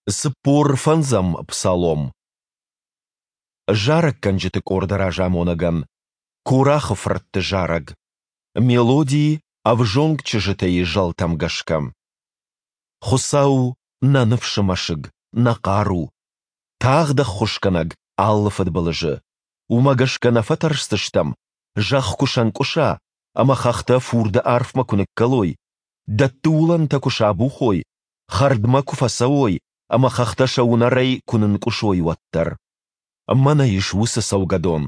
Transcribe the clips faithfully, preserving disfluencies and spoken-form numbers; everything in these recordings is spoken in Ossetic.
Цыппор фӕндзӕм псалом. Зарӕггӕнджыты къорды разамонӕгӕн. Корахы фыртты зарӕг. Мелоди «Ӕвзонг чызджытӕ-йы зӕлтӕм гӕсгӕ. Хуыцау, нӕ ныфсы мӕсыг, нӕ хъару, тагъд ӕххуысгӕнӕг алы фыдбылызы. Уымӕ гӕсгӕ нӕ фӕтӕрсдзыстӕм, зӕхх куы сӕнкъуыса ӕмӕ хӕхтӕ фурды арфмӕ куы ныккӕлой, дӕтты уылӕнтӕ куы сабухой, хӕрдмӕ куы фӕцӕуой ӕмӕ хӕхтӕ сӕ уынӕрӕй куы нынкъуысой, уӕддӕр. Мӕнӕ ис уыцы цӕугӕдон,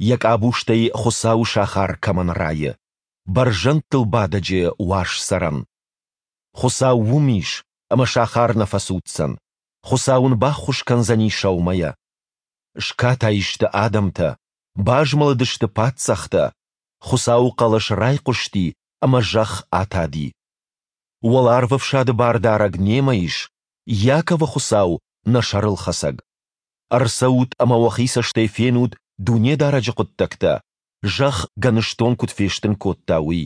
йӕ къабузтӕй Хуыцауы сахар кӕмӕн райы, бӕрзӕндтыл бадӕджы уаз цӕрӕн. Хуыцау уым ис, ӕмӕ сахар нӕ фӕцуддзӕн, Хуыцау ын баххуыс кӕндзӕни сӕумӕйӕ. Скатай сты адӕмтӕ, базмӕлыдысты паддзӕхтӕ, Хуыцауы хъӕлӕс райхъуысти, ӕмӕ зӕхх атади. Уӕларвӕфсады Бардарӕг немӕ ис, Иаковы Хуыцау нӕ сӕрылхӕцӕг. Ӕрцӕут ӕмӕ уӕхи цӕстӕй фенут Дунедарӕджы хъуыддӕгтӕ, зӕхх гӕныстон куыд фестын кодта, уый.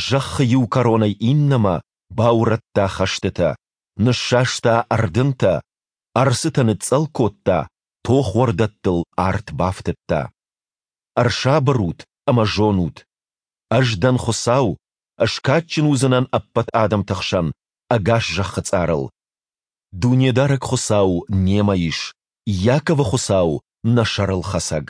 Зӕххы иу кӕронӕй иннӕмӕ баурӕдта хӕстытӕ, ныссаста ӕрдынтӕ, ӕрцытӕ ныцъцъӕл кодта, тохуӕрдӕттыл арт бафтыдта. Ӕрсабыр ут ӕмӕ зонут, Ӕз дӕн Хуыцау, скадджын уыдзынӕн ӕппӕт адӕмты хсӕн, ӕгас зӕххы цъарыл. Дунедарӕг Хуыцау немӕ ис, Иаковы Хуыцау нӕ сӕрылхӕцӕг.